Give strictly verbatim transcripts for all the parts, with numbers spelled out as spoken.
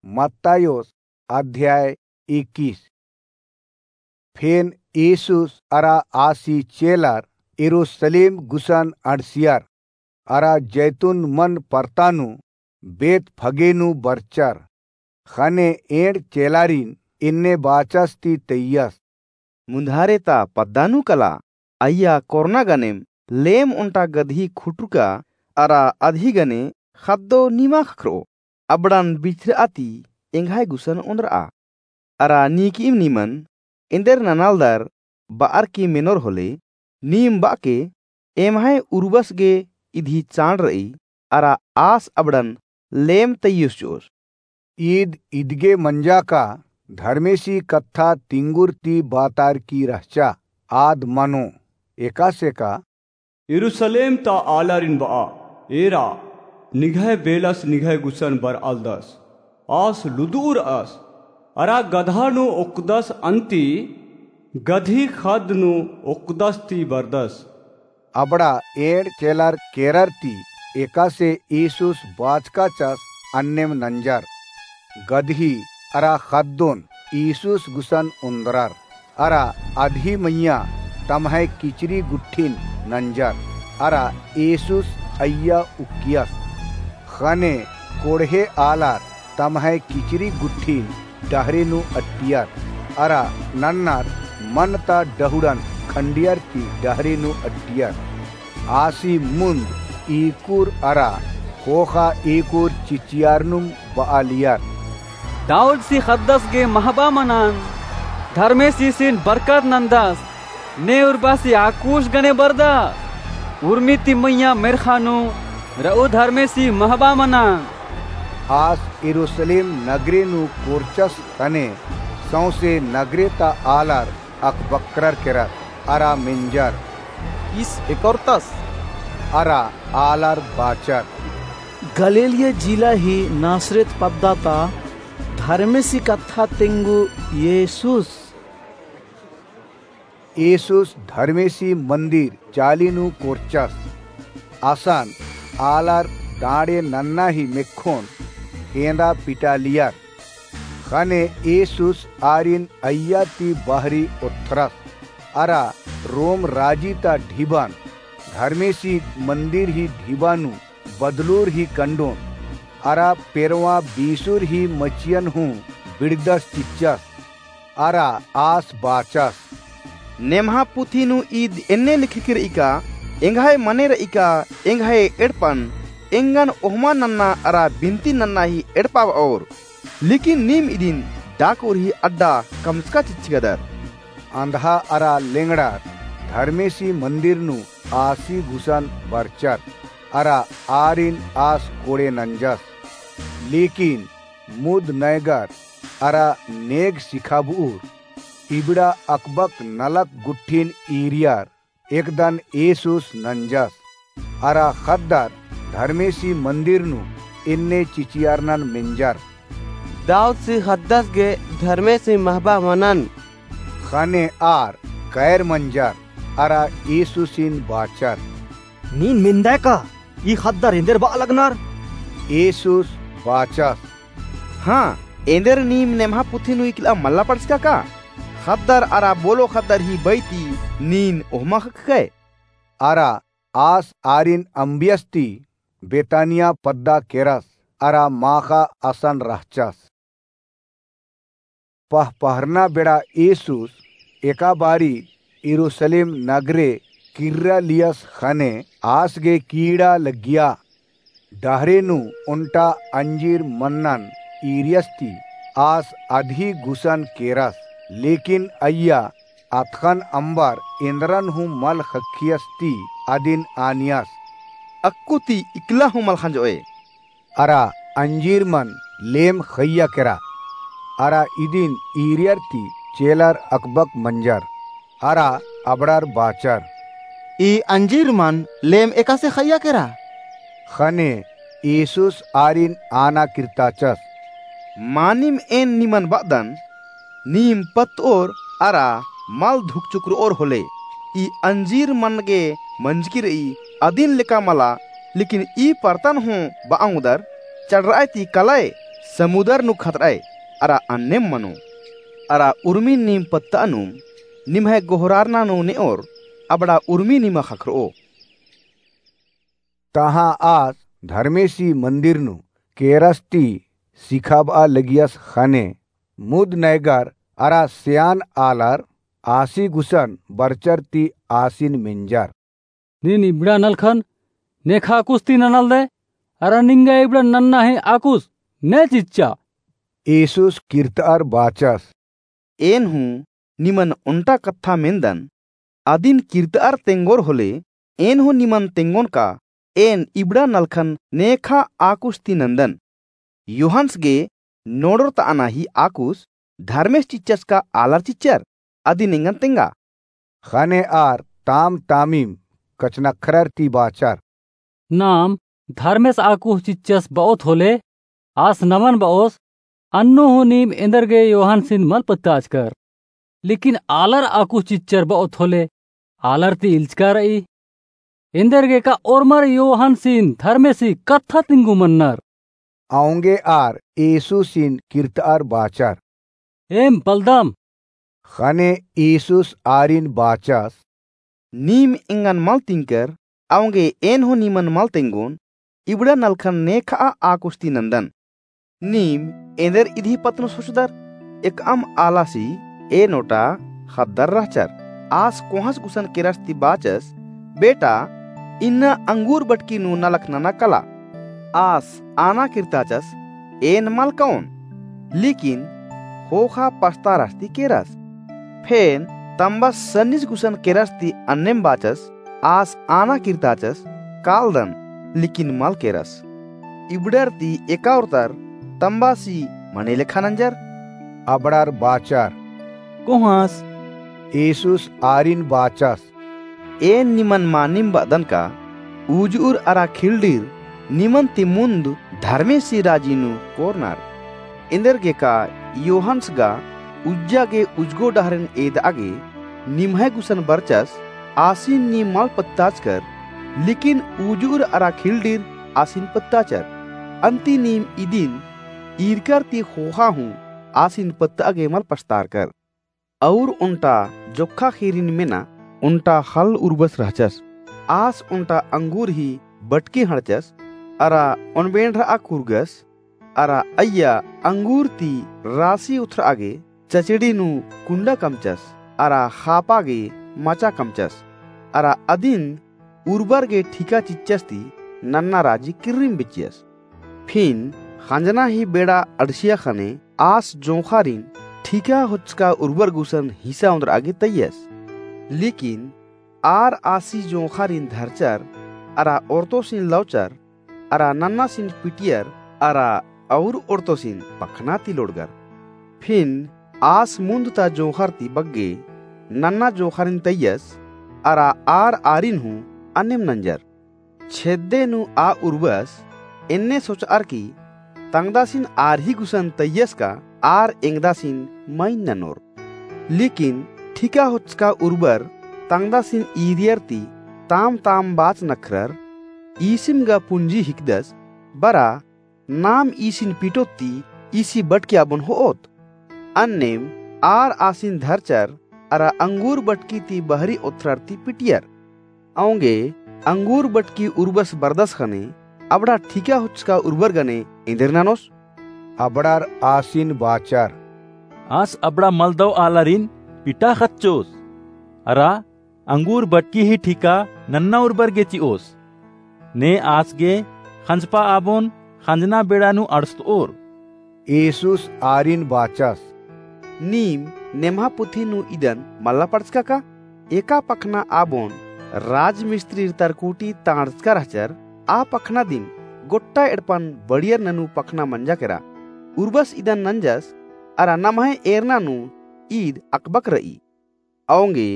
मत्तायोस अध्याय इक्कीस। फेन येसुस अरा आसी चेलर यरूसलेम गुसन अंड़सियर, अरा जैतून मन परता नू बेतफगे नू बरचर। ख़ने एंड़ चेलारिन एन्ने बाचस ती तैयस। मुन्धारे ता पद्दा नू कला, अइय्या कोरना गनेम लेम ओन्टा गदही खुटुरका अरा अदही गने ख़द्दो निमा ख़क्खरओ। अबड़न बिछरआ ती एंग्है गुसन ओन्द्रआ। अरा नीकिम निमन एन्देर ननालदर बअर की मेनोर होले, नीम बअके एम्है उरुबस गे इदही चाड़ रई, अरा आस अबड़न लेम तैयोस चिओस। ईद इदगे मंजा का धर्मेसी कत्था तिंगुर ती बातार की रहचा, आद मनो, एकासे का यरूसलेम ता आलारिन बआ, एरा, निंग्है बेलस निंग्है गुसन बरआलदस। आस लुदुउरअस, अरा गदहा नू ओक्कदस अन्ती गदही ख़द्द नू ओक्कदस ती बरदस। अबड़ा एंड़ चेलर केरर ती एकासे येसुस बाचकाचस अन्नेम नंजर। गदही अरा ख़द्दोन येसुस गुसन ओन्द्रर। अरा अदही मइय्याँ तम्है किचरी गुट्ठिन नंजर, अरा येसुस अइय्या उक्कियस। ख़ने कोड़हे आलर तम्है किचरी गुट्ठिन डहरे नू अट्टियर, अरा नन्नर मन ता डहुड़न खंडियर ती डहरे नू अट्टियर। आसी मुन्द ईकुर अरा ख़ोख़ा ईकुर चिचियारनुम बआलियर। दाऊदसी ख़द्दस गे महबा मनन, धर्मेसीसिन बरकत नन्दस, ने उर्बासी आकुस गने बरदस, उर्मी ती मइय्याँ मेर्ख़ा नू रऊ धर्मेसी महबा मनन। आस यरूसलेम नगरे नू कोरचस ख़ने सौंसे नगरे ता आलर अकबक्करर केरर, अरा मेंजर, ईस एकोरतस। अरा आलर बाचर, गलीलिया जिला ही नासरेत पद्दा ता धर्मेसी कत्था तेंगु येसुस। येसुस धर्मेसी मन्दिर चाली नू कोरचस। असन आलर डाँड़े नन्ना ही मेक्खोन हेंदा पिटालियर। ख़ने येसुस आरिन अइय्या ती बहरी ओथ्रस, अरा रोम राजी ता ढिबन धर्मेसी मन्दिर ही ढिबा नू बदलुर ही कंडोन, अरा पेरवाँ बीसुर ही मचियन हूँ बिड़दस चिच्चस, अरा आस बाचस, नेम्हा पुथी नू ईद एन्ने लिखकी रई का, एंग्है मने रई का, एंग्है एड़पन एंगन ओहमा नन्ना अरा बिनती नन्ना ही एड़पा बओर। लेकिन नीम इदिन डाकुर ही अड्डा कमचका चिच्चकदर। अंधा अरा लेंगड़ार धर्मेसी मन्दिर नू आसी गुसन बरचर, अरा आरिन आस कोड़े नंजस। लेकिन मुद नैगर अरा नेग सिखाबउर, इबड़ा अकबक नलख गुट्ठिन ईरियर, एकदन येसुस नंजस। अरा ख़द्दर धर्मेसी मन्दिर नू एन्ने चिचियारनन मेंजर, दाऊदसी ख़द्दस गे धर्मेसी महबा मनन। ख़ने आर कैर मंजर अरा येसुसिन बाचर, नीन मेंदय का ई ख़द्दर एन्देर बआ लगनर? येसुस बाचस, हाँ, एन्देर नीम नेम्हा पुथी नू इकला मल्ला पढ़चका का? ख़द्दर अरा बोलो ख़द्दर ही बई ती नीन ओहमा ख़क्खकय। अरा आस आरिन अम्बियस ती बेतानिया पद्दा केरस, अरा माख़ा असन रहचस। पहपहरना बेड़ा येसुस एका बारी यरूसलेम नगरे किर्रा लियस ख़ने आस गे कीड़ा लग्गिया। डहरे नू ओन्टा अंजीर मन्नन ईरियस ती आस अदही गुसन केरस, लेकिन अइय्या अतख़न अम्बर एन्दरन हूँ मल ख़क्खियस ती अदिन आनियस, अक्कु ती इकला हूँ मल ख़ंजओय। अरा अंजीर मन लेम ख़इय्या केरा। अरा इदिन ईरियर ती चेलर अकबक मंजर। अरा अबड़र बाचर, ई अंजीर मन लेम एकासे ख़इय्या केरा? ख़ने येसुस आरिन आना किर्ताचस, मानिम एन निमन बअदन, नीम पत्तओर अरा मल धुकचुकरओर होले, ई अंजीर मन गे मंजकी रई अदिन लेका मला, लेकिन ई परतन हूँ बआ ओंगदर, चड़रअय ती कलय, समुदर नू खतर'अय, अरा अन्नेम मनो। अरा उर्मिन नीम पत्त'अनुम, निम्है गोहरारना नू ने'ओर, अबड़ा उर्मी निमा ख़क्खर'ओ। तहाँ आस धर्मेसी मन्दिर नू केरस ती सिखाब'आ लगियस ख़ने मुद नैगर अरा स्यान आलर आसी गुसन बरचर ती आसिन मेंजर। नीन इबड़ा नलखन नेखा आकुस ती ननालदय, अरा निंगा इबड़ा नन्ना ही आकुस ने चिच्चा? येसुस किर्त'अर बाचस। एन हूँ निमन ओन्टा कत्था मेन्दन, अदिन किर्त'अर तेंगोर होले, एन हूँ निमन तेंगोन का, एन इबड़ा नलखन नेखा आकुस ती नन्दन। योहन्स गे नोड़रत'अना ही आकुस धर्मेस चिच्चस का आलर चिच्चर, अदिन एंगन तेंगा। ख़ने आर ताम तामिम कछनख्रर ती बाचर। नाम धर्मेस आकुस चिच्चस ब'ओत होले, आस नमन ब'ओस, अन्नु हूँ नीम एन्देरगे योहन्सिन मल पत्ताचकर। लेकिन आलर आकुस चिच्चर ब'ओत होले, आलर ती इल्चका र'ई। एन्देरगे का ओर्मर योहन्सिन धर्मेसी कत्था तिंगु मन्नर। औंगे आर येसुसिन किर्त'अर बाचर। एम बलदम। ख़ने येसुस आरिन बाचस। नीम एंगन मल तिंकर, औंगे एन हूँ निमन मल तेंगोन, इबड़ा नलखन नेखा आकुस ती नन्दन। नीम एन्देर इदी पत्त नू सोचदर, एकअम आलासी एन ओटा ख़द्दर रहचर। आस कोहाँस गुसन केरस ती बाचस, बेटा, इन्ना अंगूर बटकी नू नलख नना कला। आस आना किर्ताचस, एन मल कओन, लेकिन ख़ोख़ा पछतारस ती केरस। फेन तम्बस सन्निस गुसन केरस ती अन्नेम बाचस, आस आना किर्ताचस, कालदन, लेकिन मल केरस। इबड़र ती एका ओर्तर तम्बासी मने लेखा नंजर। अबड़ार बाचर। कोहाँस? येसुस आरिन बाचस। एन निमन मानिम ब'अदन का, उजुर अरा खिल्डिर निमन ती मुन्द धर्मेसी राजी नू कोरनर। एन्देरगे का योहन्स गा उज्जा गे उज्जो डहरेन एद'आ गे निम्है गुसन बरचस, आसिन नीम मल पत्ताचकर, लेकिन उजुर अरा खिल्डिर आसिन पत्ताचर। अन्ती नीम इदिन ईरकर ती ख़ोख़ा हूँ आसिन पत्त'आ गे मल पछतारकर। अउर ओन्टा जोक्खा ख़ीरिन मेना ओन्टा ख़ल्ल उर्बस रहचस। आस ओन्टा अंगूर ही बटकी हड़चस, अरा ओनबेंड़र'आ कुरगस, अरा अइय्या अंगूर ती रासी उथर'आ गे चचड़ी नू कुंडा कमचस, अरा ख़ापा गे मचा कमचस, अरा अदिन उर्बर गे ठीका चिच्चस ती नन्ना राजी किर्रिम बिच्चियस। फिन ख़ंजना ही बेड़ा अंड़सिया ख़ने आस जोंख़ारिन ठीका होच्चका उर्बर गुसन हिसा ओन्द्र'आ गे तइयस। लेकिन आर आसी जोंख़ारिन धरचर, अरा ओर्तोसिन लौचर, अरा नन्नासिन पिटियर, अरा अउर ओर्तोसिन पखना ती लोड़गर। फिन आस मुन्द ता जोंख़र ती बग्गे नन्ना जोंख़ारिन तइयस, अरा आर आरिन हूँ अन्नेम नंजर। छेद्दे नू आ उर्बस एन्ने सोच'अर की तंगदासिन आर ही गुसन तइयस का आर एंगदासिन मइन ननोर। लेकिन ठीका होच्चका उर्बर तंगदासिन ईरियर ती ताम ताम बाच नखरर, ईसिम गा पुंजी हिकदस, बरा नाम ईसिन पिटोत ती ईसी बटकी आबोन हो'ओत। अन्नेम आर आसिन धरचर अरा अंगूर बटकी ती बहरी ओथ्रर ती पिटियर। औंगे अंगूर बटकी उर्बस बरदस ख़ने अबड़ा ठीका होच्चका उर्बर गने एन्देर ननोस? अबड़ार आसिन बाचर। आस अबड़ा मलदव आलारिन पिटा ख़च्चोस। अरा अंगूर बटकी ही ठीका नन्ना उर्बर गे चि'ओस। ने आस गे ख़ंजपा आबोन ख़ंजना बेड़ा नू अंड़सत'ओर। येसुस आरिन बाचस। नीम नेम्हा पुथी नू इदन मल्ला पढ़चका का? एका पखना आबोन राजमिस्त्रीर तरकुटी तांड़चका रहचर, आ पखना दिम गोट्टा एड़पन बड़ियर ननू पखना मंजा केरा। उर्बस इदन नंजस, अरा नम्है एरना नू ईद अकबक र'ई। औंगे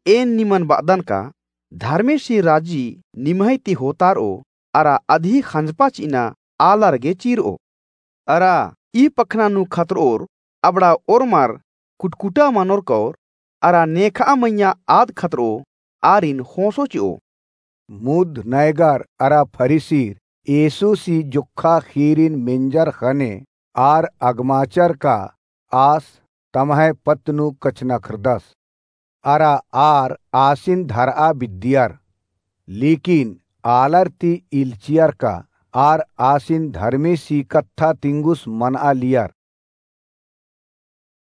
एन निमन ब'अदन का, धर्मेसी राजी निम्है ती होतार'ओ, अरा अदही ख़ंजपा चि'अना आलर गे चीर'ओ। अरा ई पखना नू खतर'ओर अबड़ा ओर्मर कुटकुटा मनोर कौर, अरा नेखा मइय्याँ आद खतर'ओ आरिन ख़ोंसो चि'ओ। मुद नैगर अरा फरीसीर येसुसी जोक्खा ख़ीरिन मेंजर ख़ने आर अगमाचर का आस तम्है पत्त नू कछनखरदस। अरा आर आसिन धरआ बिद्दियर, लेकिन आलर ती इल्चियर का आर आसिन धर्मेसी कत्था तिंगुस मनआ लियर।